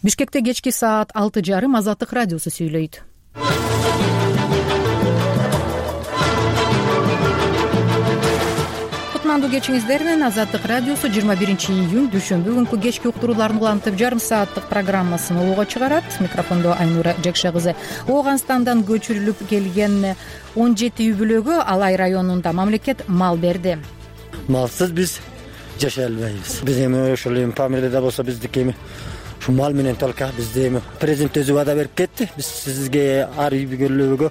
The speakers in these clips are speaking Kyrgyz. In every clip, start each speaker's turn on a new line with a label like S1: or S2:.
S1: Бишкекте кечки саат 6:30 Азаттык радиосу сүйлөйт. Кутмандуу кечиңиздер менен Азаттык радиосу 21-июнь дүйшөмбү күнкү кечки уктурууларын улантып жарым сааттык программасын улууга чыгарат. Микрофондо Айнура Жекше кызы. Ооганстандан көчүрүлүп келген 17 үй бүлөгө Алай районунда мамлекет мал берди.
S2: Малсыз биз жашай албайбыз. Биз эми ошол эми фамилияда болсо биздики эми ушу мал менен только бизде эми президент өзү вада берип кетти. Биз сизге ар үй бүлөгө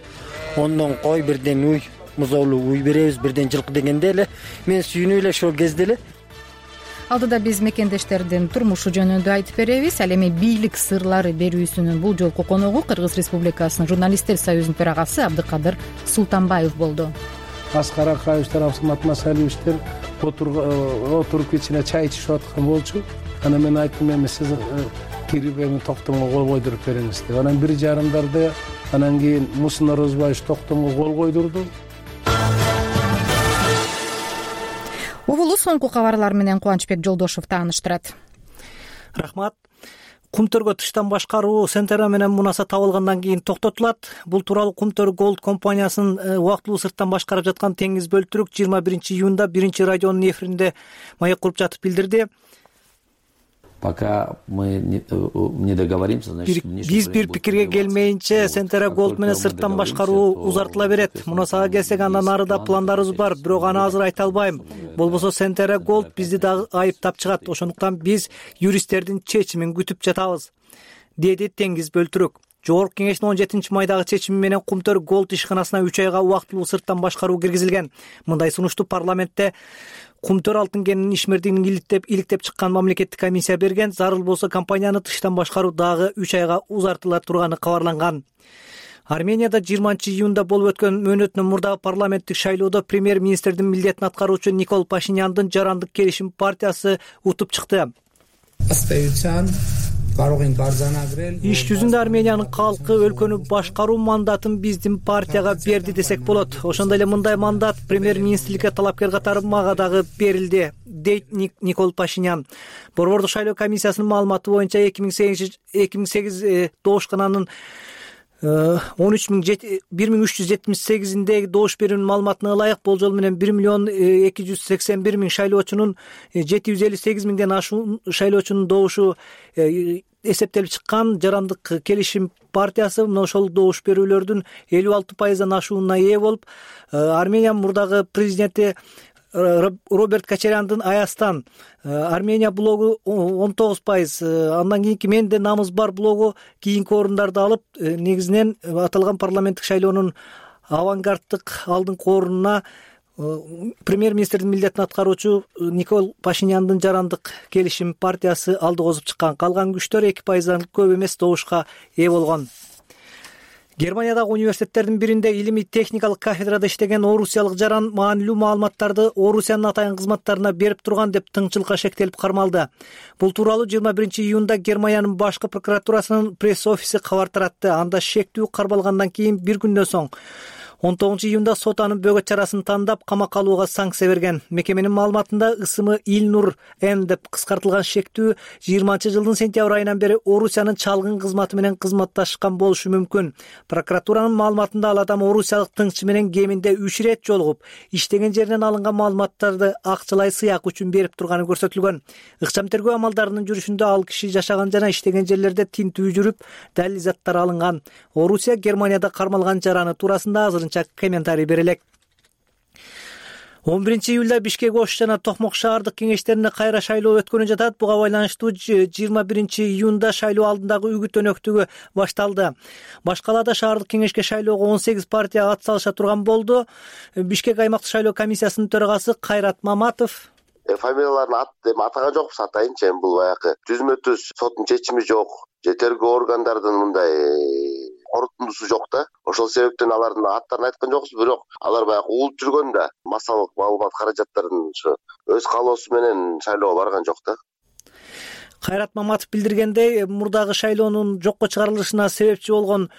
S2: 10 кой, 1 уй, музоолуу уй беребиз, 1 жылкы дегенде эле мен сүйүнүп эле ошол кезде эле.
S1: Алдыда биз мекендештердин турмушу жөнүндө айтып беребиз. Ал эми бийлик сырлары берүүсүнүн бул жолку коногу Кыргыз Республикасынын журналисттер союзунун төрагасы Абдыкадыр Султанбаев болду.
S3: Аскар Акаевичтер, Абсамат Масалиевичтер отуруп кичине чай ичишип аткан болчу. Анан мен айттым, эми сиз кирип эми токтомго кол койдуруп бериңиз деп. Анан 1:30 анан кийин Мусин Орозбаевич токтомго кол койдурду.
S1: Угулу соңку кабарлар менен Кубанычбек Жолдошев тааныштырат.
S4: Рахмат. Кумтөргө тыштан башкаруу Сентера менен мунаса табылгандан кийин токтотулат. Бул тууралуу Кумтөр Голд компаниясынын убактылуу сырттан башкарып жаткан Теңиз Бөлтүрүк 21-июнда 1-радионун эфиринде маек куруп жатып билдирди.
S5: Пока мы не договоримся, значит,
S4: биз бир пикирге келмейинче Сентера Голд менен сырттан башкаруу узартыла берет. Мунасага келсек, андан арыда пландарыбыз бар, бирок аны азыр айта албайм. Болбосо Сентера Голд бизди дагы айыптап чыгат. Ошондуктан биз юристтердин чечимин күтүп жатабыз, деди Теңиз Бөлтүрүк. Жогорку кеңештин 17-майдагы чечими менен Кумтөр Голд ишканасына 3 айга убактылуу сырттан башкаруу киргизилген. Мындай сунушту парламентте Кумтөр алтын кенинин ишмердигин иликтеп чыккан мамлекеттик комиссия берген. Зарыл болсо компанияны тыштан башкаруу дагы 3 айга узартыла турганы кабарланган. Арменияда 20-июнда болуп өткөн мөөнөтүнөн мурдагы парламенттик шайлоодо премьер-министрдин милдетин аткаруучу Никол Пашиняндын Жарандык келишим партиясы утуп чыкты. Иш жүзүндө Армениянын калкы өлкөнү башкаруу мандатын биздин партияга берди десек болот. Ошондой эле мындай мандат премьер-министрликке талапкер катары мага дагы берилди, дейт Никол Пашинян. Борбордук шайлоо комиссиясынын маалыматы боюнча 2008 доошкананын 1378-индеги добуш берүүнүн маалыматына ылайык болжол менен 1,281,000 шайлоочунун 758,000ден ашуун шайлоочунун добушу эсептелип чыккан. Жарандык келишим партиясы мына ошол добуш берүүлөрдүн 56%дан ашуунуна ээ болуп, Армениянын мурдагы президенти Роберт Кочаряндын Аястан, Армения блогу 19%, андан кийинки Менде намыз бар блогу кийинки орундарды алып, негизинен аталган парламенттик шайлоонун авангарддык алдыңкы орунуна премьер-министрдин милдетин аткаруучу Никол Пашиняндын Жарандык келишим партиясы алдыгозуп чыккан. Калган күчтөр 2%дан көп эмес добушка ээ болгон. Германиядагы университеттердин биринде илимий техникалык кафедрада иштеген орусиялык жаран маанилүү маалыматтарды Орусиянын атайын кызматтарына берип турган деп тыңчылыкка шектелип кармалды. Бул тууралуу 21-июнда Германиянын башкы прокуратурасынын пресс-офиси кабар таратты. Анда шектүү кармалгандан кийин бир күндөн соң 19-июнда сот анын бөгөт чарасын тандап камакка алууга санкция берген. Мекеменин маалыматында ысымы Илнур Н деп кыскартылган шектүү 20-жылдын сентябрь айынан бери Орусиянын чалгын кызматы менен кызматташкан болушу мүмкүн. Прокуратуранын маалыматында ал адам орусиялык тыңчы менен кеминде 3 ирет жолугуп, иштеген жеринен алынган маалыматтарды акчалай сыяк үчүн берип турганы көрсөтүлгөн. Ыкчам тергөө амалдарынын жүрүшүндө ал киши жашаган жана иштеген жерлерде тинтүү жүрүп, далил заттар алынган. Орусия Германияда кармалган жараны туурасында азырынча комментарий берелек. 11-июлда Бишкек, Ош жана Токмок шаардык кеңештерине кайра шайлоо өткөнү жатат. Буга байланыштуу 21-июнда шайлоо алдындагы үгүт өнөктүгү башталды. Башкалада шаардык кеңешке шайлоого 18 партия ат салыша турган болду. Бишкек аймактык шайлоо комиссиясынын төрагасы Кайрат Маматов
S6: фамилияларын атаган жокпуз, атайынчы эми бул баягы түзмө-түз соттун чечими жок, тергөө органдардын мындай корутундусу жок да. Ошол себептен алардын аттарын айткан жокпуз, бирок алар баягы уулуп жүргөн да, массалык маалымат каражаттарын өз каалоосу менен шайлоого барган жок да.
S4: Кайрат Маматов билдиргендей, мурдагы шайлоонун жокко чыгарылышына себепчи болгон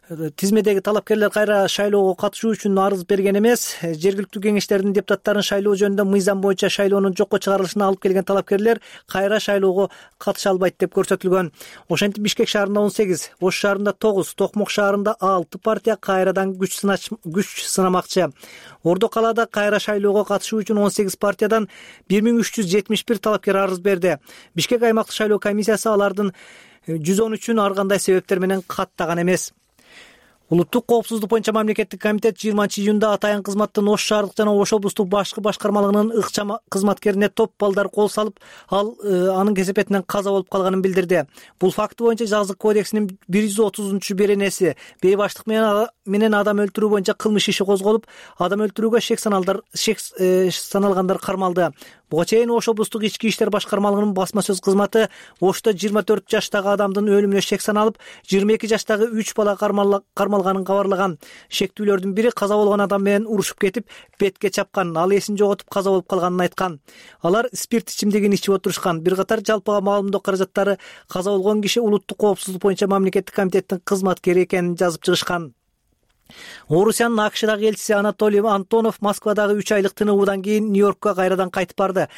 S4: тизмедеги талапкерлер кайра шайлоого катышуу үчүн арыз берген эмес. Жергиликтүү кеңештердин депутаттарын шайлоо жөнүндө мыйзам боюнча шайлоонун жокко чыгарылышына алып келген талапкерлер кайра шайлоого катыша албайт деп көрсөтүлгөн. Ошентип Бишкек шаарында 18, Ош шаарында 9, Токмок шаарында 6 партия кайрадан күч сынамакчы. Ордо калаада кайра шайлоого катышуу үчүн 18 партиядан 1371 талапкер арыз берди. Бишкек аймактык шайлоо комиссиясы алардын 113-үн ар кандай себептер менен каттаган эмес. Улуттук коопсуздук боюнча мамлекеттик комитет 20-июнда атайын кызматтын Ош шаардык жана Ош облустук башкы башкармалыгынын ыкчам кызматкерине топ балдар кол салып, ал анын кесепетинен каза болуп калганын билдирди. Бул факт боюнча жазык кодексинин 130-беренеси бейбаштык менен адам өлтүрүү боюнча кылмыш иши козголуп, адам өлтүрүүгө шек саналгандар кармалды. Буга чейин Ош облустук ички иштер башкармалыгынын басма сөз кызматы Ошто 24 жаштагы адамдын өлүмүнө шек саналып, 22 жаштагы 3 бала кармалганын кабарлаган. Шектүүлөрдүн бири каза болгон адам менен урушуп кетип, бетке чапкан, ал эсин жоготуп каза болуп калганын айткан. Алар спирт ичимдигин ичип отурушкан. Бир катар жалпыга маалымдоо каражаттары каза болгон киши улуттук коопсуздук боюнча мамлекеттик комитеттин кызматкери экенин жазып чыгышкан. Орусиянын АКШдагы элчиси Анатолий Антонов Москвадагы 3 айлык тынуудан кийин Нью-Йоркко кайрадан кайтып барды.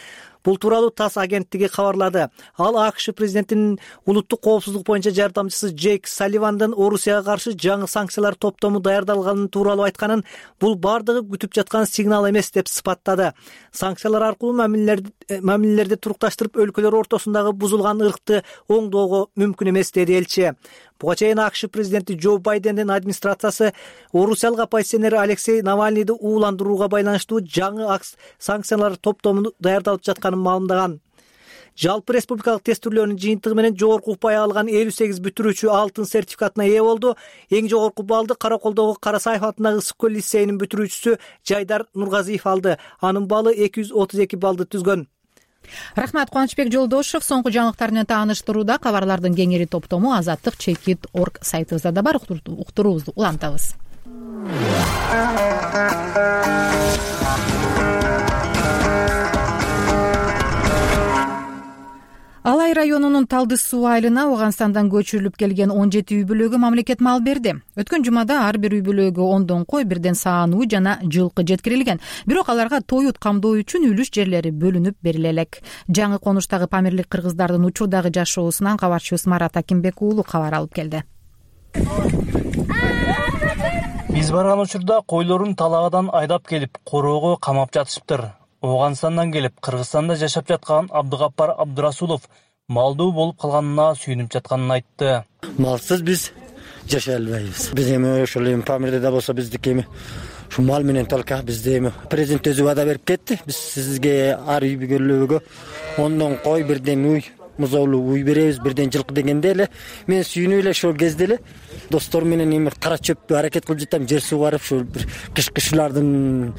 S4: Бул тууралуу ТАСС агенттиги кабарлады. Ал АКШ президентинин улуттук коопсуздук боюнча жардамчысы Джейк Салливандын Орусияга каршы жаңы санкциялар топтому даярдалганын тууралуу айтканын, бул бардыгы күтүп жаткан сигнал эмес деп сыпаттады. Санкциялар аркылуу мамилелерди турукташтырып, өлкөлөр ортосундагы бузулган ыркты оңдоого мүмкүн эмес, деди элчи. Буга чейин АКШ президенти Джо Байдендин администрациясы орусиялык оппозиционер Алексей Навальныйды ууландырууга байланыштуу жаңы санкциялар топтому даярдалып жатканын маалымдаган. Жалпы республикалык тест түрлөрүнүн жыйынтыгы менен жогорку упай алган 58 бүтүрүүчү алтын сертификатына ээ болду. Эң жогорку баллды Караколдогу Карасаев атындагы Ысык көл лицейинин бүтүрүүчүсү Жайдар Нургазиев алды. Анын баллы 232 баллды түзгөн.
S1: Рахмат, Кубанычбек Жолдошев. Соңку жаңылыктар менен тааныштырууда кабарлардын кеңири топтому azattik.org сайтыбызда да бар. Уктуруубузду улантабыз. Алай районунун Талды суу айылына Ооганстандан көчүрүлүп келген 17 үй бүлөгө мамлекет мал берди. Өткөн жумада ар бир үй бүлөгө 10 кой, 1 саан уй жана жылкы жеткирилген. Бирок аларга тоют камдоо үчүн үлүш жерлери бөлүнүп бериле элек. Жаңы конуштагы памирлик кыргыздардын учурдагы жашоосунан кабарчыбыз Марат Акимбек уулу кабар алып келди.
S7: Биз барган учурда койлорун талаадан айдап келип, короого камап жатышыптыр. Ооганстандан келип, Кыргызстанда жашап жаткан Абдыгаппар Абдырасулов малдуу болуп калганына сүйүнүп жатканын айтты.
S2: Малсыз биз жашай албайбыз. Биз эми ошол эми памирде болсо биздики эми ушу мал менен только бизде эми президент өзү вада берип кетти. Биз сизге ар үй бүлөгө 10 кой, 1 уй, музоолуу уй беребиз, 1 жылкы дегенде эле мен сүйүнүп эле ошол кезде эле достор менен эми кара чөптү аракет кылып жатам, жер сугарып, ушул бир кышкычлардын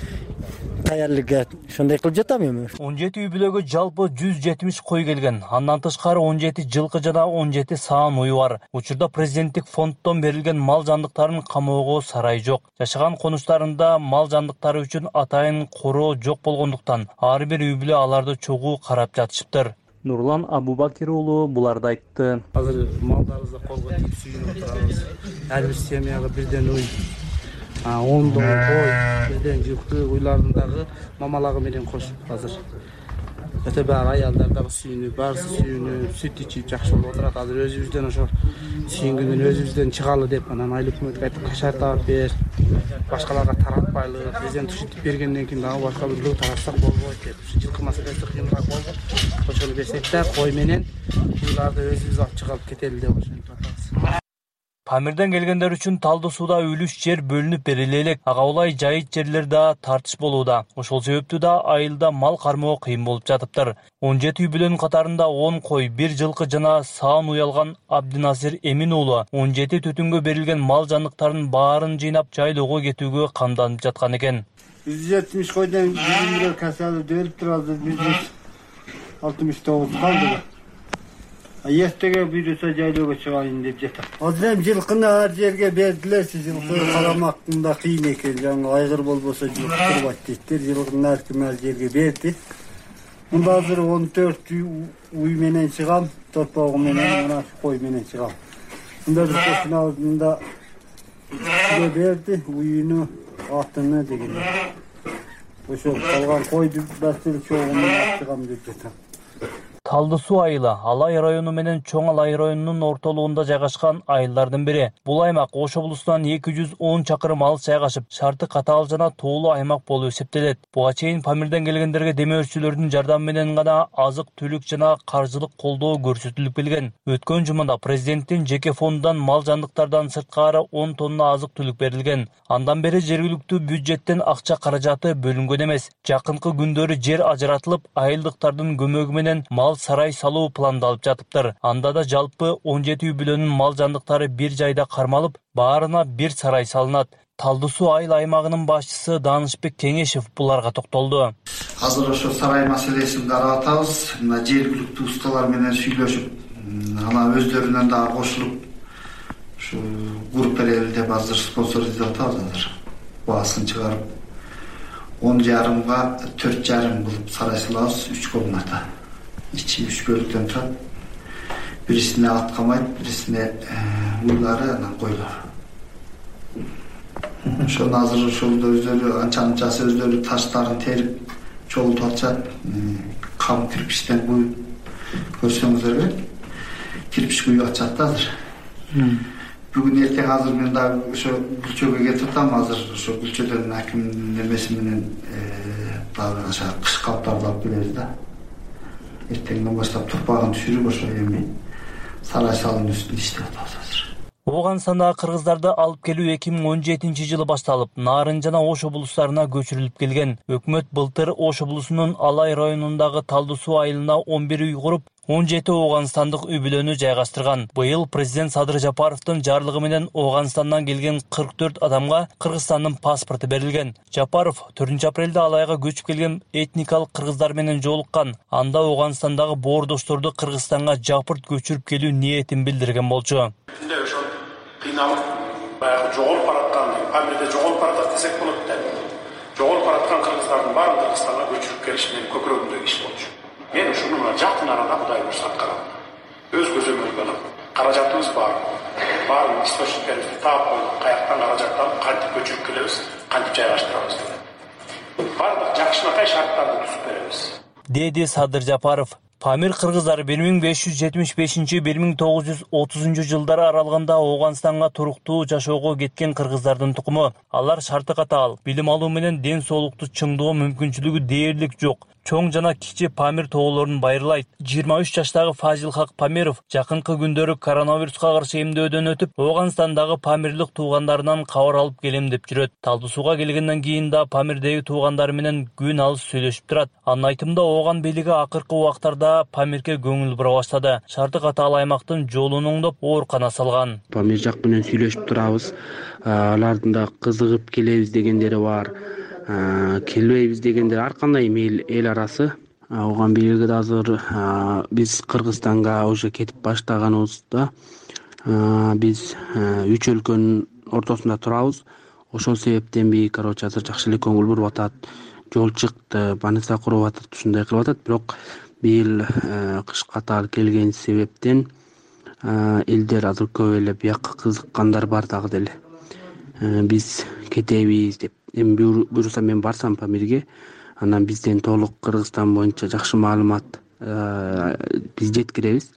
S2: таярлыгы ошондой кылып жатам эми.
S7: 17 үй бүлөгө жалпы 170 кой келген. Андан тышкары 17 жылкы жана 17 саан уй бар. Учурда президенттик фонддон берилген мал жандыктарын камоого сарай жок. Жашаган конуштарында мал жандыктары үчүн атайын короо жок болгондуктан ар бир үй бүлө аларды чогуу карап жатышыптыр. Нурлан Абубакир уулу буларды айтты.
S3: Азыр малдарыбызды колго тийип сүйүнүп отурабыз. Ар бир семьяга 1 уй, 10 кой, 1 жылкы уйлардын дагы мамалагы менен кошуп азыр. Өтө баары аялдар дагы сүйүнүп, баарысы сүйүнүп, сүт ичип жакшы болуп отурат. Азыр өзүбүздөн ошо сүйүнгөндөн өзүбүздөн чыгалы деп анан айыл өкмөткө айтып кашар таап бер, башкаларга таратпайлы, президент ушинтип бергенден кийин дагы башка бир луу таратсак болбойт деп. Ушу жылкы маселеси кыйыныраак болду. Ошону берсек да кой менен уйларды өзүбүз алып чыгып кетели деп ошентип атабыз.
S7: Памирден келгендер үчүн Талды сууда үлүш жер бөлүнүп бериле элек. Ага улай жайыт жерлер да тартыш болууда. Ошол себептүү да айылда мал кармоо кыйын болуп жатыптыр. 17 үй бүлөнүн катарында 10 кой, 1 жылкы жана саан уй алган Абдинасир Эмин уулу 17 түтүнгө берилген мал жандыктарын баарын жыйнап жайлоого кетүүгө камданып жаткан экен.
S8: 170 койдон бирөө касалып өлүп турабыз. 169 калды. Эртеге бирөөсө жайлоого чыгайын деп жатам. Азыр эми жылкыны ар жерге бердилерчи, жылкы карамактын да кыйын экен. Жаңы айгыр болбосо жылкы турбайт дейттер. Жылкыны ар ким ар жерге берди. Мында азыр 14 уй менен чыгам, торпогу менен, мына кой менен чыгам. Мында бир кошуна алдында Кишиге берди, уюну, атына деген. Ошо калган койду басыл чогумун ачыгам деп жатам.
S7: Талды суу айылы Алай району менен Чоң Алай районунун ортолугунда жайгашкан айылдардын бири. Бул аймак Ош облусунан 210 чакырым алыс жайгашып, шарты катаал жана тоолуу аймак болуп эсептелет. Буга чейин Памирден келгендерге демөөрчүлөрдүн жардамы менен гана азык-түлүк жана каржылык колдоо көрсөтүлүп келген. Өткөн жумада президенттин жеке фондунан мал жандыктардан сырткары 10 тонна азык-түлүк берилген. Андан бери жергиликтүү бюджеттен акча каражаты бөлүнгөн эмес. Жакынкы күндөрү жер ажыратылып, айылдыктардын көмөгү менен мал сарай салуу пландалып жатыптыр. Анда да жалпы 17 үй бүлөнүн мал жандыктары бир жайда кармалып, баарына бир сарай салынат. Талды суу айыл аймагынын башчысы Данышбек Кеңешев буларга токтолду.
S9: Азыр ошо сарай маселесин карап атабыз. Мына жергиликтүү усталар менен сүйлөшүп, ана өздөрүнөн дагы кошулуп, ушу куруп берели деп азыр спонсор издеп атабыз азыр. Баасын чыгарып 10,5 4,5 кылып сарай салабыз, 3 комната. İçi 3 bölüktөн турат. Бирисине ат камайт, бирисине уйлары, анан койлор. Ошону азыр ошолду өздөрү анча-мынчасы өздөрү таштарын терип чогултуп атышат. Кам кирпичтен куюп көрсөңүздөр керек. Кирпич куюп атышат да азыр. Бүгүн эртең азыр мен дагы ошо Гүлчөгө кетип атам. Азыр ошо Гүлчөдөн акимдин немеси менен дагы ошо кыш калыптарды алып келебиз да. Эртеңден баштап турпагын түшүрүп ошо эми сарай салуунун үстүндө иштеп атабыз азыр.
S7: Ооганстандагы кыргыздарды алып келүү 2017-жылы башталып, Нарын жана Ош облустарына көчүрүлүп келген. Өкмөт былтыр Ош облусунун Алай районундагы Талды суу айылына 11 үй куруп, 17 Ооганстандык үй бүлөнү жайгаштырган. Быйыл президент Садыр Жапаровдун жарлыгы менен Ооганстандан келген 44 адамга Кыргызстандын паспорту берилген. Жапаров 4 апрелде Алайга көчүп келген этникалык кыргыздар менен жолуккан. Анда Ооганстандагы боордошторду Кыргызстанга жапырт көчүрүп келүү ниетин билдирген болчу.
S10: Ошол кыйналып, баягы жоголуп бараткан, Памирде жоголуп баратат десек болот деп. Жоголуп бараткан кыргыздардын баарын Кыргызстанга көчүрүп келиш менен көкүрөгүмдөгү иш болчу. Мен ушуну жакын арада Кудай буйрса аткарам. Өз көзөмөлгө алып, каражатыбыз бар. Баарын источниктерибизди таап койдук. Каяктан каражат алып, кантип көчүрүп келебиз, кантип жайгаштырабыз деп. Бардык жакшынакай шарттарды түзүп беребиз,
S7: деди Садыр Жапаров. Памир кыргыздары 1575-1930 жылдары аралыгында Ооганстанга туруктуу жашоого кеткен кыргыздардын тукуму. Алар шарты катаал, билим алуу менен ден соолукту чыңдоо мүмкүнчүлүгү дээрлик жок. Чоң жана кичи Памир тоолорун байырлайт. 23 жаштагы Фазилхак Памиров жакынкы күндөрү коронавируска каршы эмдөөдөн өтүп, Ооганстандагы памирлик туугандарынан кабар алып келем деп жүрөт. Талды сууга келгенден кийин да Памирдеги туугандары менен күн алыс сүйлөшүп турат. Анын айтымында Ооган бийлиги акыркы убактарда Памирге көңүл бура баштады. Шарты катаал аймактын жолун оңдоп, оорукана салган.
S11: Памир жак менен сүйлөшүп турабыз. Алардын да кызыгып келебиз дегендери бар. Келбейбиз дегендер ар кандай эл арасы. Ооган бийлиги да азыр биз Кыргызстанга уже кетип баштаганыбызда биз 3 өлкөнүн ортосунда турабыз. Ошол себептен короче азыр жакшы эле көңүл буруп атат. Жол чыкты, больница куруп атат, ушундай кылып атат. Бирок быйыл кыш катаал келген себептен элдер азыр көп эле бияка кызыккандар бар дагы деле. Биз кетебиз деп. Эми буюрса мен барсам Памирге, анан бизден толук Кыргызстан боюнча жакшы маалымат биз жеткиребиз.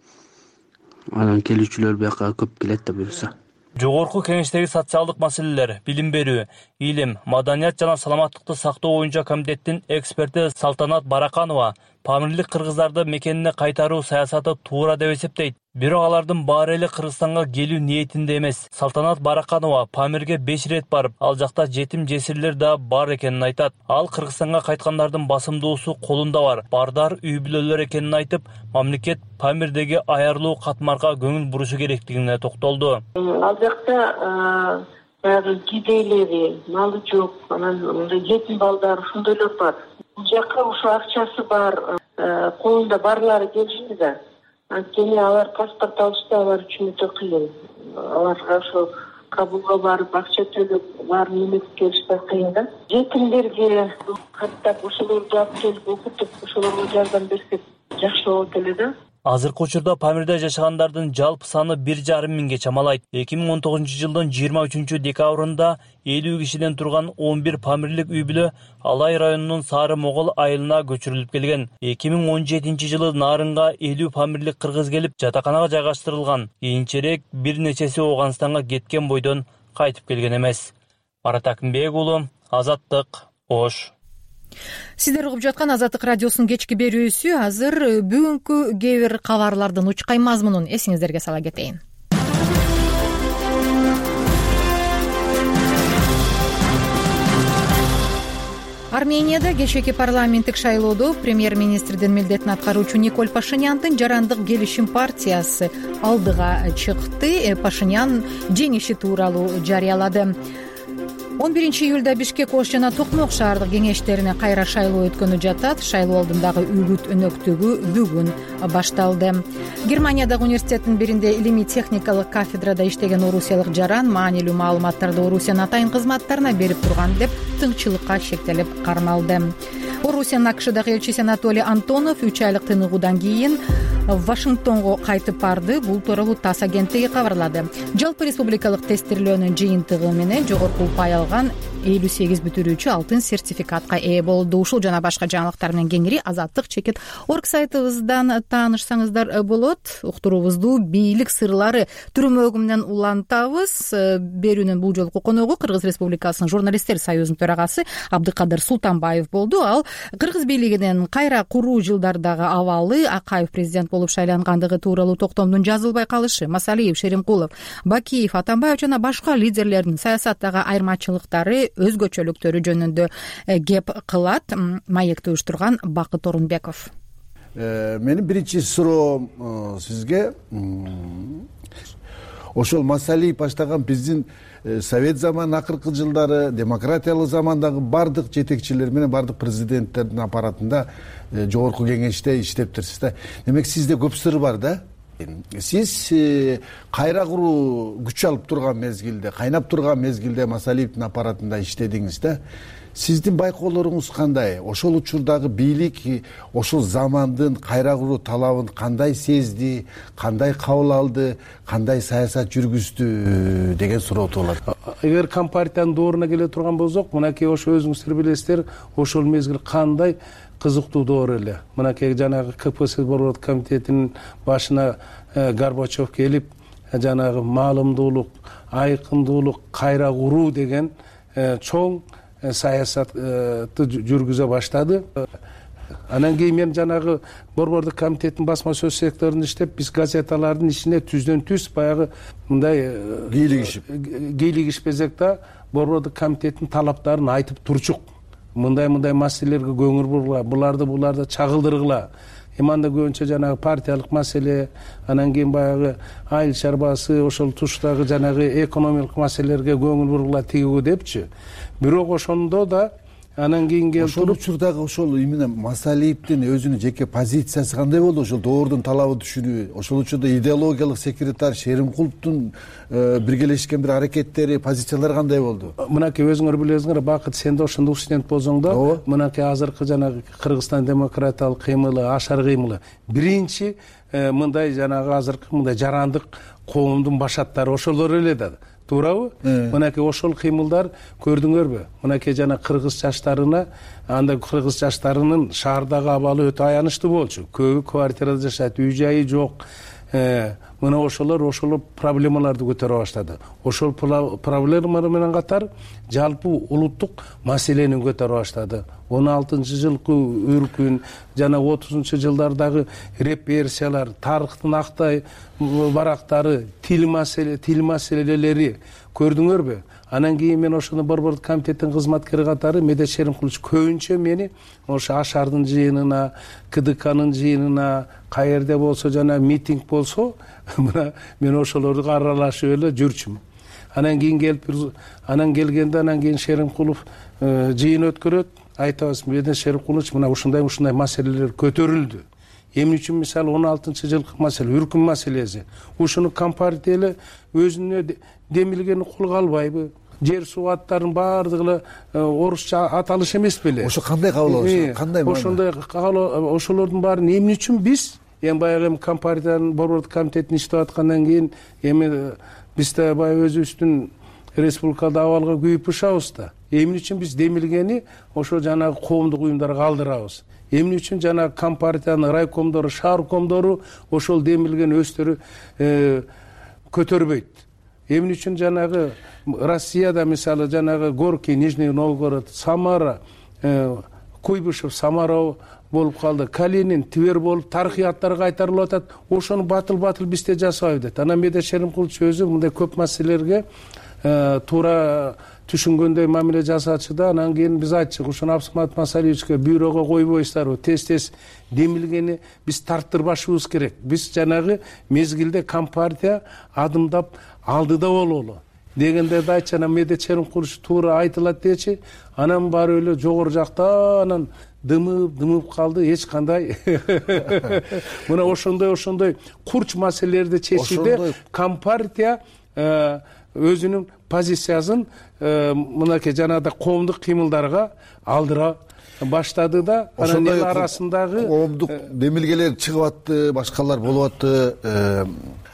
S11: Анан келүүчүлөр бияка көп келет да буюрса.
S7: Жогорку кеңештеги социалдык маселелер, билим берүү, илим, маданият жана саламаттыкты сактоо боюнча комитеттин эксперти Салтанат Бараканова Памирлик кыргыздарды мекенине кайтаруу саясаты туура деп эсептейт. Бирок алардын баары эле Кыргызстанга келүү ниетинде эмес. Салтанат Бараканова Памирге 5 рет барып, ал жакта жетим жесирлер да бар экенин айтат. Ал Кыргызстанга кайткандардын басымдуусу колунда бар. Бардар үй бүлөлөр экенин айтып, мамлекет Памирдеги аярлуу катмарга көңүл бурушу керектигине токтолду.
S12: Ал жакта кедейлери, малы жок, анан жетим балдар ошондойлор бар. Бул жака ошо акчасы бар, колунда барлары келишти да. Анткени алар паспорт алышта алар үчүн өтө кыйын. Аларга ошо кабулга барып, акча төлөп, баарын эметип келиш да кыйын да. Жетимдерге каттап ошолорду алып келип окутуп, ошолорго жардам берсек жакшы болот эле да.
S7: Азыркы учурда Памирде жашагандардын жалпы саны 1,5 миңге чамалайт. 2019-жылдын 23-декабрында 50 кишиден турган 11 Памирлик үй-бүлө Алай районунун Сары Могол айылына көчүрүлүп келген. 2017-жылы Нарынга 50 Памирлик кыргыз келип жатаканага жайгаштырылган. Кийинчерээк бир нечеси Ооганстанга кеткен бойдон кайтып келген эмес. Марат Акымбек уулу, Азаттык, Ош.
S1: Сиздер угуп жаткан Азаттык радиосунун кечки берүүсү. Азыр бүгүнкү кээ бир кабарлардын учкай мазмунун эсиңиздерге сала кетейин. Арменияда кечээки парламенттик шайлоодо премьер-министрдин милдетин аткаруучу Николь Пашиняндын жарандык келишим партиясы алдыга чыкты. Пашинян жеңиши тууралуу жарыялады. 11-июлда Бишкек, Ош жана Токмок шаардык кеңештерине кайра шайлоо өткөнү жатат. Шайлоо алдындагы үгүт өнөктүгү бүгүн башталды. Германиядагы университеттин биринде илимий техникалык кафедрада иштеген орусиялык жаран маанилүү маалыматтарды Орусиянын атайын кызматтарына берип турган деп тыңчылыкка шектелип кармалды. Орусиянын АКШдагы элчиси Анатолий Антонов 3 айлык тыныгуудан кийин Вашингтонго кайтып барды. Бул тууралуу ТАСС агенттиги кабарлады. Жалпы республикалык тестирлөөнүн жыйынтыгы менен жогорку упай алган 58 бүтүрүүчү алтын сертификатка ээ болду. Ушул жана башка жаңылыктар менен кеңири Азаттык.org сайтыбыздан таанышсаңыздар болот. Уктуруубузду бийлик сырлары түрмөгү менен улантабыз. Берүүнүн бул жолку коногу Кыргыз Республикасынын журналисттер союзунун төрагасы Абдыкадыр Султанбаев болду. Ал Кыргыз бийлигинин кайра куруу жылдардагы абалы, Акаев президент болуп шайлангандыгы тууралуу токтомдун жазылбай калышы, Масалиев, Шеримкулов, Бакиев, Атамбаев жана башка лидерлердин саясаттагы айырмачылыктары, өзгөчөлүктөрү жөнүндө кеп кылат. Маекти уюштурган Бакыт Орунбеков.
S13: Менин биринчи суроом сизге ошол Масалиев баштаган биздин совет заманынын акыркы жылдары демократиялык замандагы бардык жетекчилер менен бардык президенттердин аппаратында жогорку кеңеште иштептирсиз да. Демек сизде көп сыр бар да. Сиз кайра куруу күч алып турган мезгилде, кайнап турган мезгилде Масалиевдин аппаратында иштедиңиз да. Сиздин байкоолоруңуз кандай? Ошол учурдагы бийлик ошол замандын кайра куруу талабын кандай сезди, кандай кабыл алды, кандай саясат жүргүздү деген суроо туулат.
S3: Эгер компартиянын дооруна келе турган болсок, мынакей ошо өзүңүздөр билесиздер, ошол мезгил кандай кызыктуу доор эле. Мынакей жанагы КПСС борбордук комитетинин башына Горбачев келип, жанагы маалымдуулук, айкындуулук, кайра куруу деген чоң саясатты жүргүзө баштады. Анан кийин мен жанагы борбордук комитеттин басма сөз секторунда иштеп, биз газеталардын ичине түздөн түз баягы мындай кийлигишпесек да борбордук комитеттин талаптарын айтып турчук. Мындай маселелерге көңүл бургула, буларды чагылдыргыла. Анда көбүнчө жанагы партиялык маселе, анан кийин баягы айыл чарбасы, ошол туштагы жанагы экономикалык маселелерге көңүл бургула тигүү депчи. Бирок ошондо да анан кийин келип
S13: ошол учурдагы ошол именно Масалиевдин өзүнүн жеке позициясы кандай болду? Ошол доордун талабы түшүнүү, ошол учурда идеологиялык секретарь Шеримкуловдун биргелешкен бир аракеттери, позициялары кандай болду?
S3: Мынакей өзүңөр билесиңер, Бакыт, сен да ошондо студент болсоң да, мынакей азыркы жанагы Кыргызстан демократиялык кыймылы, ашар кыймылы биринчи мындай жанагы азыркы мындай жарандык коомдун башаттары ошолор эле да. Туурабы? Мынакей ошол кыймылдар көрдүңөрбү? Мынакей жана кыргыз жаштарына, анда кыргыз жаштарынын шаардагы абалы өтө аянычтуу болчу. Көбү квартирада жашайт, үй жайы жок. Мына ошолор проблемаларды көтөрө баштады. Ошол проблемалар менен катар жалпы улуттук маселени көтөрө баштады. 16-жылкы үркүн жана 30-жылдардагы репрессиялар, тарыхтын актай барактары, тил маселелери көрдүңөрбү? Анан кийин мен ошону борбордук комитеттин кызматкери катары Медет Шеримкулович көбүнчө мени ошо Ашардын жыйынына, КДКнын жыйынына, каерде болсо жана митинг болсо, мына мен ошолорду аралашып эле жүрчүмүн. Анан кийин келгенде Шеримкулов жыйын өткөрөт, айтабыз, Медет Шеримкулович мына ушундай маселелер көтөрүлдү. Эмне үчүн мисалы 16-жылкы маселе, үркүн маселеси. Ушуну компартия эле өзүнө демилгени колго албайбы? Жер суу аттарын баардыгы орусча аталыш эмес беле?
S13: Ошо кандай кабыл алыш? Кандай
S3: ошондой ошолордун баарын эмне үчүн биз эми баягы эми компартиянын борбордук комитетин иштеп аткандан кийин эми биз да баягы өзүбүздүн республикалык абалга күйүп ушабыз да. Эмне үчүн биз демилгени ошо жанагы коомдук уюмдарга калтырабыз? Эмне үчүн жанагы компартиянын райкомдору, шааркомдору ошол демилгени өздөрү көтөрбөйт? Эмне үчүн жанагы Россияда мисалы жанагы Горький, Нижний Новгород, Самара, Куйбышев, Самара болуп калды, Калинин, Тивер болуп тарыхый аттар кайтарылып атат. Ошону батыл бизде жасабайбыз дейт. Анан Медет Шеримкулович өзү мындай көп маселелерге туура түшүнгөндөй мамиле жасачу да. Анан кийин биз айтчык, ошону Абсамат Масалиевичке бюрого койбойсуздарбы? Тез демилгени биз тарттырбашыбыз керек. Биз жанагы мезгилде компартия адымдап алдыда бололу дегендерди айтчы. Анан Медет Шеримкулович туура айтылат дечи. Анан баары эле жогору жакта анан дымып калды. Эч кандай мына ошондой курч маселелерди чечүүдө компартия өзүнүн позициясын мынакей жанагыдай коомдук кыймылдарга алдыра баштады да. Анан эл арасындагы
S13: коомдук демилгелер чыгып атты, башкалар болуп атты.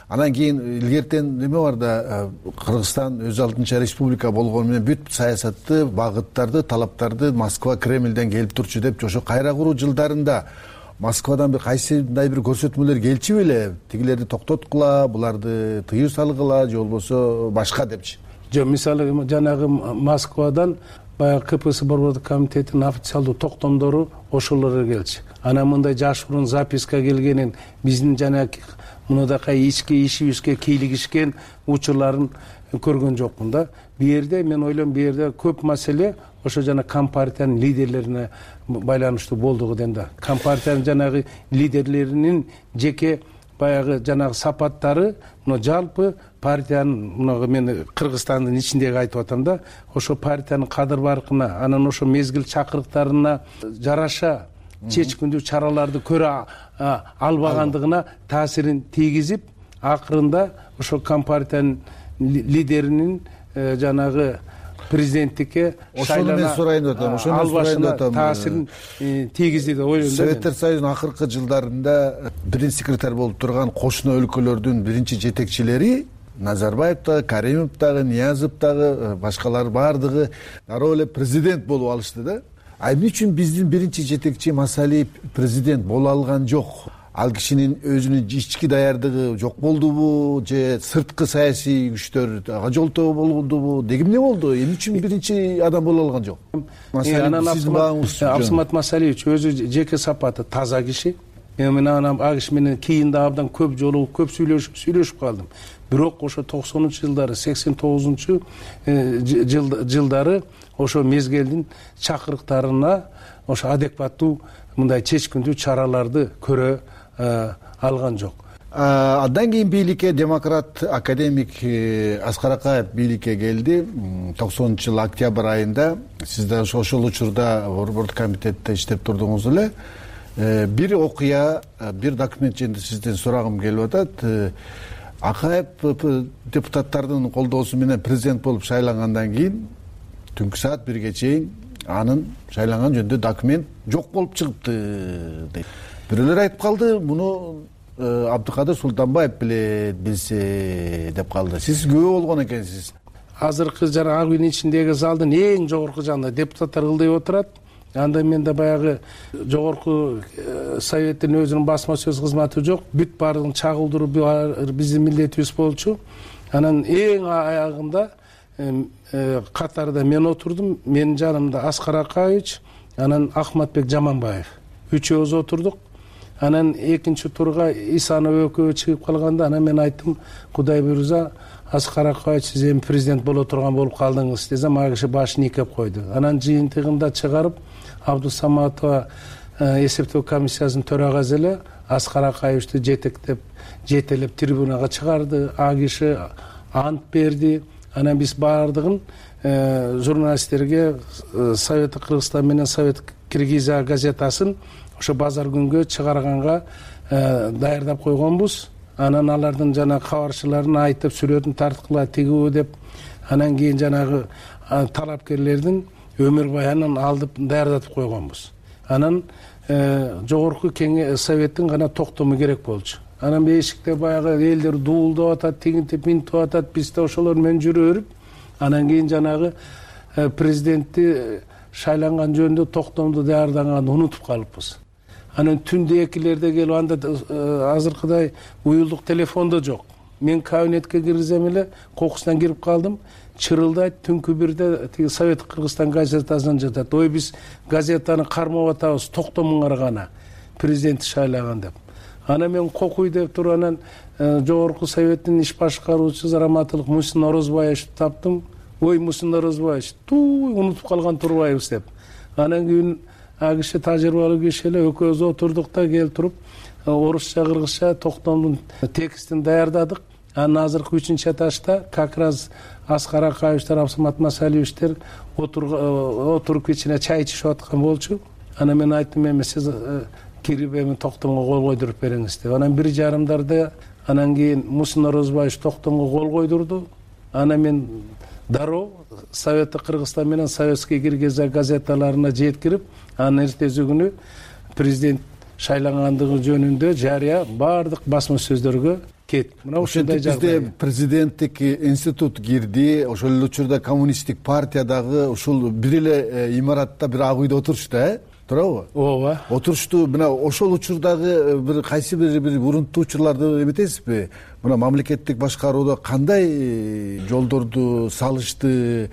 S13: Анан кийин илгертен неме бар да, Кыргызстан өз алдынча республика болгону менен бүт саясатты, багыттарды, талаптарды Москва, Кремлден келип турчу деп ошо кайра куруу жылдарында Москвадан бир кайсыдай бир көрсөтмөлөр келчү беле? Тигилерди токтоткула, буларды тыюу салгыла, же болбосо башка депчи.
S3: Жок, мисалы жанагы Москвадан баягы КПСС борбордук комитетинин официалдуу токтомдору ошолор келчү. Анан мындай жашыруун записка келгенин, биздин жанагы мындай ички ишибизге кийлигишкен учурларын көргөн жокмун да. Бу жерде мен ойлойм, бу жерде көп маселе ошо жана компартиянын лидерлерине байланыштуу болдугу дем да. Компартиянын жанагы лидерлеринин жеке баягы жанагы сапаттары, мына жалпы партиянын, мына мен Кыргызстандын ичиндеги айтып атам да, ошо партиянын кадыр баркына, анан ошо мезгил чакырыктарына жараша чечкиндүү чараларды көрө албагандыгына таасирин тийгизип, акырында ошо компартиянын лидеринин жанагы президенттикке
S13: шайлана
S3: таасирин тийгизди деп ойлойм.
S13: Советтер Союзунун акыркы жылдарында биринчи секретарь болуп турган кошуна өлкөлөрдүн биринчи жетекчилери Назарбаев дагы, Каримов дагы, Ниязов дагы, башкалар баардыгы дароо эле президент болуп алышты да. Эмне үчүн биздин биринчи жетекчи Масалиев президент боло алган жок? Ал кишинин өзүнүн ички даярдыгы жок болдубу, же сырткы саясий күчтөр ага жолтоо болдубу? Деги эмне болду? Эмне үчүн биринчи адам боло алган жок?
S3: Абсамат Масалиевич өзү жеке сапаты таза киши. Мен анан ал киши менен кийин да абдан көп жолу көп сүйлөшүп калдым. Бирок ошо 90-жылдары, 89-жылдары ошо мезгилдин чакырыктарына ошо адекваттуу мындай чечкиндүү чараларды көрө алган жок.
S13: Андан кийин бийликке демократ академик Аскар Акаев бийликке келди 90-жыл октябрь айында. Сиз да ошол учурда борбордук комитетте иштеп турдуңуз эле. Бир окуя, бир документ жөнүндө сизден сурагым келип атат. Акаев депутаттардын колдоосу менен президент болуп шайлангандан кийин түнкү саат 1ге чейин анын шайланган жөнүндө документ жок болуп чыгыпты дейт. Бирөөлөр айтып калды, муну Абдыкадыр Султанбаев билсе деп калды. Сиз күбө болгон экенсиз.
S3: Азыркы жана ак үйдүн ичиндеги залдын эң жогорку жагында депутаттар ылдый отурат. Анда менде баягы жогорку советтин өзүнүн басма сөз кызматы жок. Бүт баардыгын чагылдыруу биздин милдетибиз болчу. Анан эң аягында катарда мен отурдум. Менин жанымда Аскар Акаевич, анан Ахматбек Жаманбаев. Үчөөбүз отурдук. Анан экинчи турга Исанов экөө чыгып калганда, анан мен айттым, Кудай буйрса, Аскар Акаевич сиз эми президент боло турган болуп калдыңыз десем, ага киши башын ийкеп койду. Анан жыйынтыгында чыгарып, Абдусаматова эсептөө комиссиясынын төрагасы эле Аскар Акаевичти жетелеп трибунага чыгарды. А киши ант берди. Анан биз баардыгын журналисттерге Совет Кыргызстан менен Совет Киргизия газетасын ошо базар күнгө чыгарганга даярдап койгонбуз. Анан алардын жана кабарчыларын айтып, сүрөтүн тарткыла тигүү деп, анан кийин жанагы талапкерлердин өмүр баянын алдып даярдатып койгонбуз. Анан жогорку советтин гана токтому керек болчу. Анан бешикте баягы элдер дуулдап атат, тигинтип минтип атат, биз да ошолор менен жүрө берип, анан кийин жанагы президентти шайланган жөнүндө токтомду даярдаганды унутуп калыппыз. Анан түндө 2-лерде келип, анда азыркыдай уюлдук телефондо жок. Мен кабинетке киргизем эле, кокустан кирип калдым, чырылдайт, түнкү 1-де тиги Совет Кыргызстан газетасынан жатат. Ой, биз газетаны кармап атабыз, токтомуңар гана президентти шайлаган деп. Анан мен кокуй деп туруп, анан жогорку советтин иш башкаруучусу Раматылык Мусин Орозбаевичти таптым. Ой, Мусин Орозбаевич, унутуп калган турбайбыз деп. Анан кийин ал киши тажрыйбалуу киши эле, экөөбүз отурдук да, келип туруп орусча, кыргызча токтомдун текстин даярдадык. Анан азыркы 3-этажда как раз Аскар Акаевичтер, Абсамат Масалиевичтер отуруп кичине чай ичишип аткан болчу. Анан мен айттым, эми сиз кирип эми токтомго кол койдуруп бериңиз деп. Анан 1:30 анан кийин Мусин Орозбаевич токтомго кол койдурду. Анан мен дароо Советти Кыргызстан менен Советский Киргизия газеталарына жеткирип, анан эртеси күнү президент шайлангандыгы жөнүндө жарыя баардык басма сөздөргө кетти. Мына ушундай жагдай.
S13: Бизде президенттик институт кирди, ошол эле учурда коммунисттик партиядагы ушул бир эле имаратта бир ак үйдө отурушту, туурабы?
S3: Ооба.
S13: Отурушту. Мына ошол учурдагы бир кайсы бир урунттуу учурларды эметесизби? Мына мамлекеттик башкарууда кандай жолдорду салышты,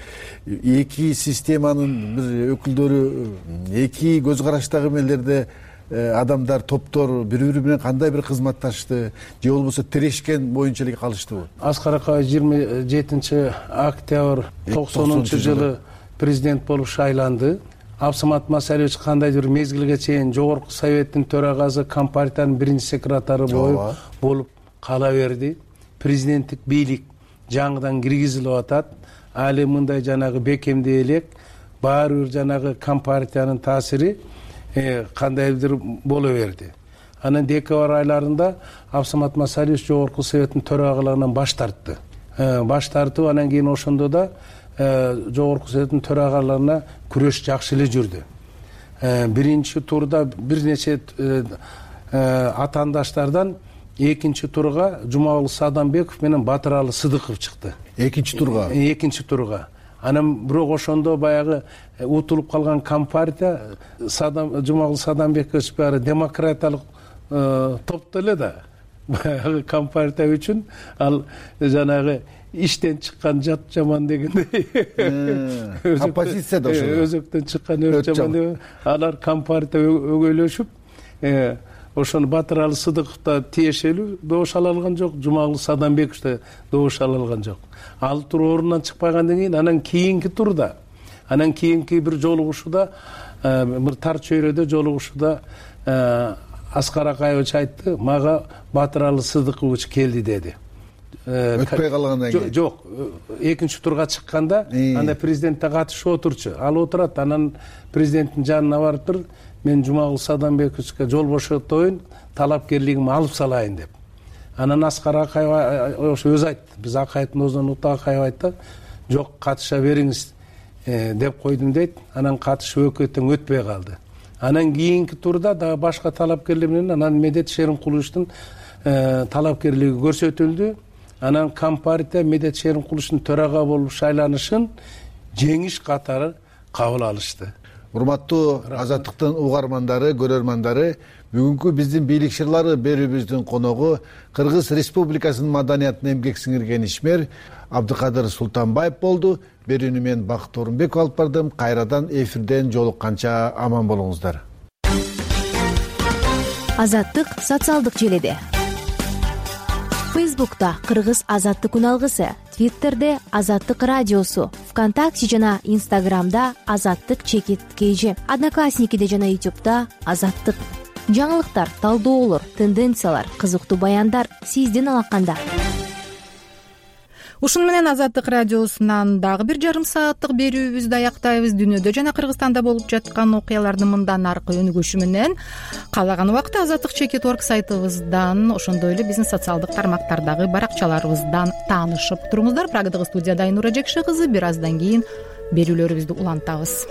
S13: эки системанын бир өкүлдөрү, эки көз караштагы эмелерде адамдар, топтор бири-бири менен кандай бир кызматташты, же болбосо тирешкен боюнча эле калыштыбы?
S3: Аскар Акаевич 27 октябрь 90-жылы президент болуп шайланды. Абсамат Масалиевич кандайдыр бир мезгилге чейин жогорку советтин төрагасы, компартиянын 1-секретары болуп кала берди. Президенттик бийлик жаңыдан киргизилип атат. Али мындай жанагы бекемдей элек, баары бир жанагы компартиянын таасири кандайдыр боло берди. Анан декабрь айларында Абсамат Масалиевич жогорку советтин төрагалыгынан баш тартты. Баш тартып, анан кийин ошондо да жогорку советтин төрагалыгына күрөш жакшы эле жүрдү. Биринчи турда бир нече атаандаштардан экинчи турга Жумагул Садамбеков менен Батыралы Сыдыков чыкты.
S13: Экинчи турга?
S3: Экинчи турга. Анан бирок ошондо баягы утулуп калган компартия Жумагул Садамбекович баары демократиялык топту эле да. Баягы компартия үчүн ал жанагы иштен чыккан жат жаман дегендей.
S13: Оппозиция да ошол.
S3: Өзөктөн чыккан өрт жаман деп алар компартия өгөйлөшүп, ошону Батыралы Сыдыков да тиешелүү добуш ала алган жок, Жумагул Садамбеков да добуш ала алган жок. Ал тур ордунан чыкпагандан кийин анан кийинки турда, анан кийинки бир жолугушууда, бир тар чөйрөдө жолугушууда Аскар Акаевич айтты, мага Батыралы Сыдыкович келди деди.
S13: Өтпөй калгандан кийин?
S3: Жок, экинчи турга чыкканда анда президентте катышып отурчу. Ал отурат, анан президенттин жанына барып тур, мен Жумагул Садамбековичке жол бошотобойн, талапкерлигимди алып салайын деп. Анан Аскар Акаев ошо өзү айтты. Биз Акаевдин өзүнөн Акаев айтты, жок, катыша бериңиз деп койдум дейт. Анан катышып өкөтөң өтпөй калды. Анан кийинки турда дагы башка талапкерлер менен анан Медет Шеримкуловичтин талапкерлиги көрсөтүлдү. Анан компартия Медет Шеримкуловичтин төрага болуп шайланышын жеңиш катары кабыл алышты.
S13: Урматтуу Азаттыктын угармандары, көрөрмандары, бүгүнкү биздин бийлик шырлары берүүбүздүн коногу Кыргыз Республикасынын маданиятына эмгек сиңирген ишмер Абдыкадыр Султанбаев болду. Берүүнү мен Бакыт Орунбеков алып бардым. Кайрадан эфирден жолукканча аман болуңуздар.
S14: Азаттык социалдык желеде. Фейсбукта Кыргыз Азаттык үналгысы, Твиттерде Азаттык радиосу, ВКонтакте жана Инстаграмда Азаттык_KG, Одноклассникиде жана Ютубта Азаттык. Жаңылыктар, талдоолор, тенденциялар, кызыктуу баяндар сиздин алаканда.
S1: Ушуну менен Азаттык радиосунан дагы бир жарым сааттык берүүбүздү аяктайбыз. Дүйнөдө жана Кыргызстанда болуп жаткан окуялардын мындан аркы өнүгүшү менен каалаган убакта Азаттык.org сайтыбыздан, ошондой эле биздин социалдык тармактардагы баракчаларыбыздан таанышып туруңуздар. Прагадагы студияда Айнура Жекше кызы. Бир аздан кийин берүүлөрүбүздү улантабыз.